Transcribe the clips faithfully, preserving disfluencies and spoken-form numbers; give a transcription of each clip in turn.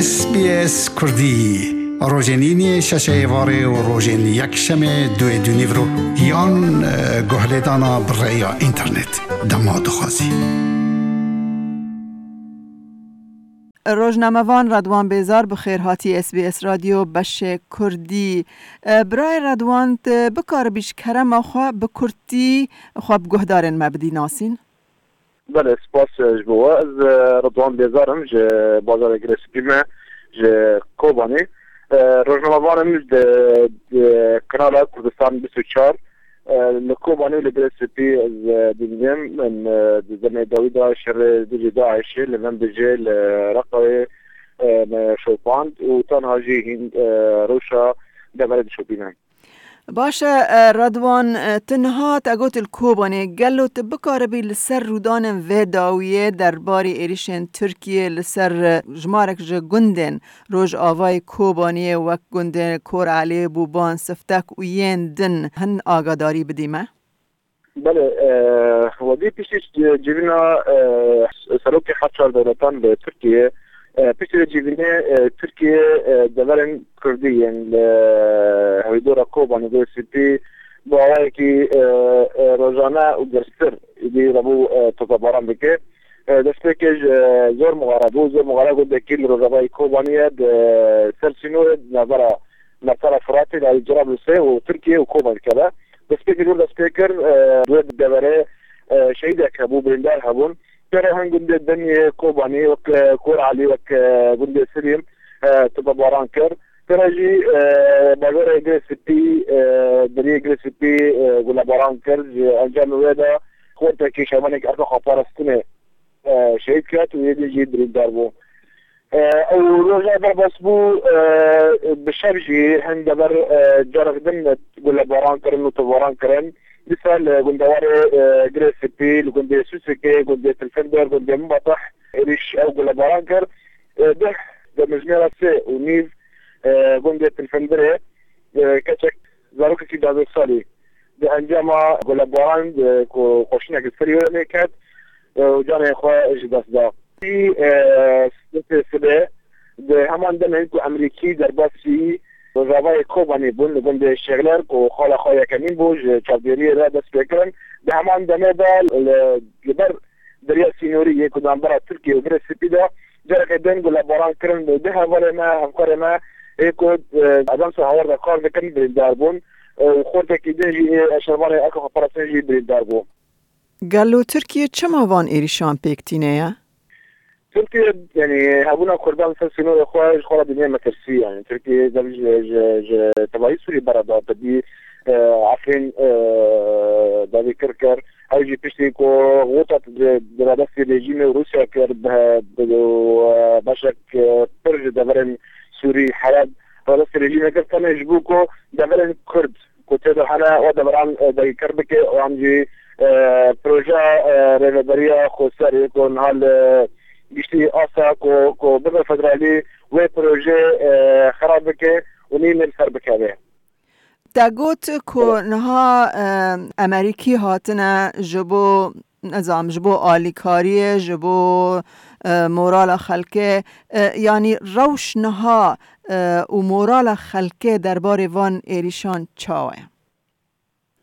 S B S Kurdî, rojên îniyê şeşê êvarê û rojên yekşemê duê dûnîvro yan, e, guhlêdana bi rêya înternet. Dema dixwazî. Rojnamevan Redwan Bêzar, bi xêr hatî S B S Radyo beşê Kurdî. E, birayê Redwan, tu bikaribî ji kerema xwe bi kurtî xwe bi guhdarên me bidî nasîn? Belê, spas, e, ji bo we. Ez, e, Ridwan Bêzar im, ji bazarê Girê Spî me, ji Kobanê. E, rojnamevan im di, di kanala Kurdistan bîst û çar. E, li Kobanê û li Girê Spî ez, e, dibînim. Min, e, di demê dawî de şerê dijî DAIŞê li Venbicê, li Reqayê, e, me şopand û tenha jî hîn, e, rewşa deverê dişopîne. Baş e, e, Redwan, e, tu niha te got li Kobanê, gelo tu bikaribî li ser rûdanên vê dawiyê derbarê êrîşên Tirkiyê li ser, e, jimarek ji gundên Rojavayê Kobaniyê wek gundê Kor Elê, Bûban, Siftek û yên din hin agadarî bidî me? Belê, e, wedî piştî civîna, e, serokê her çar dewletan li Tirkiyê, e, piştî vê civînê, e, Tirkiye, e, deverên Kurdî yên li hewîdora Kobanê Girê Spî bi awayekî, e, e, rojane û girstir êdî rabû, e, topebaran dike. E, destpêkê ji, e, Zor Muxare bû. Zor Muxare gundekî li rojavayê Kobaniyê di ser sînorê di navbera Mersala Firatê, li Cerablusê û Tirkiye û Koban dikeve. Destpêkê jor dest pê kir, e, di wê deverê, e, şehîdek hebû, birîndar hebûn. Pêre hin gundê din yê Kobanî, wek, e, Kor Elî, wek, e, gundê Silîm, e, topebaran kir. Pêre jî, e, bajarê Girê Spî, e, deriyê Girê Spî, e, gulebaran kir. Ji encamê wê de xortekî şervanekî erka xweparastinê, e, şehîd ket û yê din jî birîndar bû. E, ew roja derbas bû, e, bi şev jî hin dever, e, carek din gulebaran kirin û topebaran kirin. Dîsa li gundewarê, e, Girê Spî, li gundê Sûsikê, gundê Tilfindir, gundê Minbatih êrîş ew gulebaran kir. E, deh demjimêra sê û nîv, e, gundê Tilfindirê, e, keçek zarokekî duwazdeh salî di encama gulebaran, e, ku xweşînek li serî wê lê ket, e, û canê xwe ji dest da. Î, e, sibê, di heman demê ku Emerîkî derbasî rojavayê Kobanî bûn, li gundê Şêxler ku xala xwe yekemîn bû, ji çavdêriyê re dest pê kirin. Di heman demê de li, li ber deriya sînorî yê ku di navbera Tirkiye û Girê Spî de careke din gulebaran kirin. Du hevalê me, hevkarê me, ê ku, e, Ajansa Hawar de kar dikin, birîndar bûn, e, û xortekî din jî ê şervanê erka xweparastinê jî birîndar bû. Gelo Tirkiye çima van êrîşan pêk tîne ye? Tirkiye, yanî, hebûna Kurdan li ser sînorê xwe ji xwe re dibîne metirsî. Yanî, Tirkiye dev ji, ji, ji tevayî Sûrî bera da, te dî, e, Efrîn, e, davî kir kir. Ew jî piştî ku xwe di radestî rejîmê û Rûsya kir, bi, bi, û, e, beşek, e, pir ji deverên Sûrî, Heleb, radestî rejîmê kir, tenê ji bo ku deverên Kurd ku tê de hene, wa deveran, e, dagîrker bike, wan jî, e, proje, e, rêveberiya xweser ê ku niha li giştî asta ku, ku bibe federalî, wê proje, e, xera bike û nî li ser bikeve. Te got ku niha, e, Emerîkî hatine ji bo, nizam, ji bo alîkariyê, ji bo, e, morala xelkê, e, yanî rewş niha, e, û morala xelkê derbarê van êrîşan çawa ye?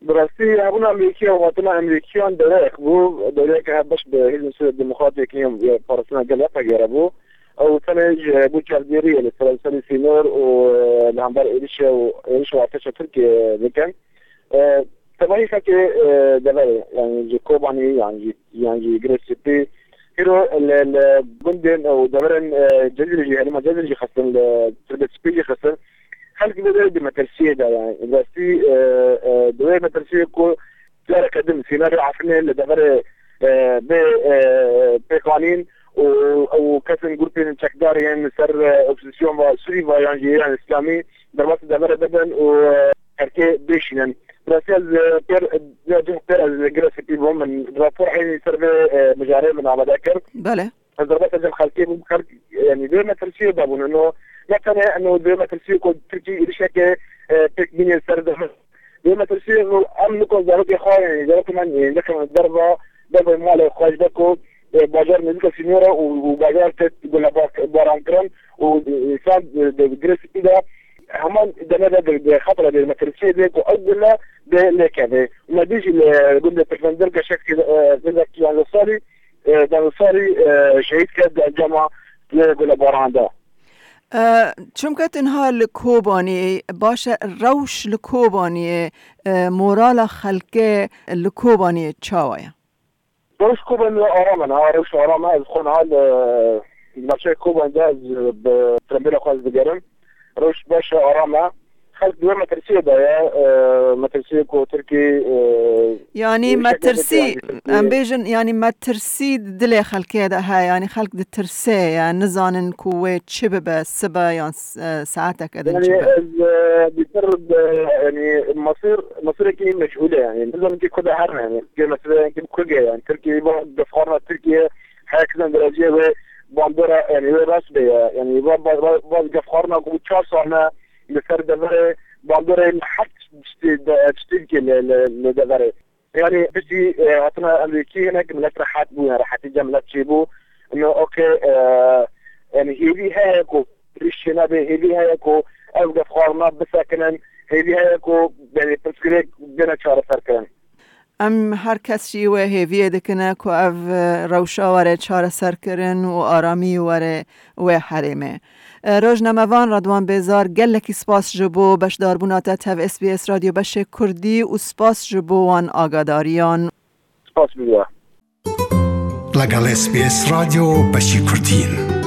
Bi rastî, hebûna Amerîkiya û hatina Amerîkiyan dewreyek bû, dewreyeke hevbeş bi Hêzên Sûriya Demokratîk yên Parastina Gel, YPG, re bû. Ew tenê ji bo çavdêriyê li seranserî sînor û, e, li hember êrişê û êriş û artêşa Tirkiyê dikin. E, tevahî xelkê, e, deverê, yanî ji Kobanî, yan jî, yan jî Girê Spî, îro li, li gundên û deverên, e, Cezîrê jî, herêma Cezîrê jî xistin, li Tirbê Spî jî xistin. Xelk vê derê di metirsiyê de ye. Yanî, bi rastî, e, e, di wê metirsiyê ku careke din sînorê Efrînê li deverê, e, bê, e, pêkanîn û, û kesên grûpên çekdar yên ser, e, opozîsyon ve Sûrî ve yan jî Îran Îslamî derbasî deverê bibin û, e, xelkê bêşînin. Bi rastî ez, e, pêr, ya cih pêr ez li Girê Spî bûm. Min rapor eynî ser vê, e, mijarê min amade kir. Belê. Ez derbasa cem xelkê bûm, xelk, yanî, di wê metirsiyê de bûn. Ino, ne tenê ino di wê metirsiyê ku Tirkî êrişeke, e, pêk bînê ser de. Di wê metirsiyê ino em niko zarokê xwe, yanî, zarokê me, yanî, nekin derva, derveyê malê xwe ji ber ku e, bajar nêzîka sînora û, û bajar tê gulebaran kirin û, e, însan, e, di girê spî de heman deme de, di, di xetera de metirsiyê de ku ew gule de lêkeve. Me dî jî li gundê Pirvendir geşek, e, zindek yanzdeh salî, e, yanzdeh salî, e, şehîd kir di encama gulebaran de. E, çimkî tu niha li Kobaniyê, baş e, rewş li Kobaniyê, e, morala xelkê li Kobaniyê çawa ye? Rewş Kobaniyê aram e, niha rewş aram e. Ez xwe niha li, li navçeyê Kobanê de ez bi tembêla xwe ez digerim. Rewş baş e, aram e. Xelk di wê metirsiyê de ye, e, metirsiyê ku Tirkî, e, Yanî e, şekil metirsî, vekirî, em bêjin, yanî metirsî di dilê xelkê de heye, yanî xelk ditirse ye, nizanin ku wê çi bibe, sibe yan s-, e, saeteke din Yanî çi be. ez, e, bîtir, e, yanî masir, masirekî meçhûl e, yanî nizanin ki ku de herin, yanî. Ki mesele, yanî ki bi ku ge, yanî Tirkî, va gefxarina Tirkî, heyek zan dereceyê wê bandora, yanî wê rast be ye, yanî va, va, va, va gefxarina ku çar sal ne, li ser deverê bandorê li her tiştê de, tiştê dike li, li, li deverê. Yanî piştî, e, hatina Amerîkî hinek millet rehet bû, yani rehetî cem millet çêbû. Ino okey, e, yani hêvî heye ku rîş çênebe, hêvî heye ku ev gefxarina bisekinin, hêvî heye ku yani pirsgirêk bêne çareserkirin. Em her kes jî wê hêviyê dikine ku ev, e, rewşa were çareserkirin û aramî were wê herêmê. E, rojnamevan Redwan Bêzar, gelekî spas ji bo beşdarbûna te tev S B S Radyo Beşê Kurdî û spas ji bo wan agadariyan. Spas bi we. لەگەڵ S B S رادیۆ بەشی کوردین.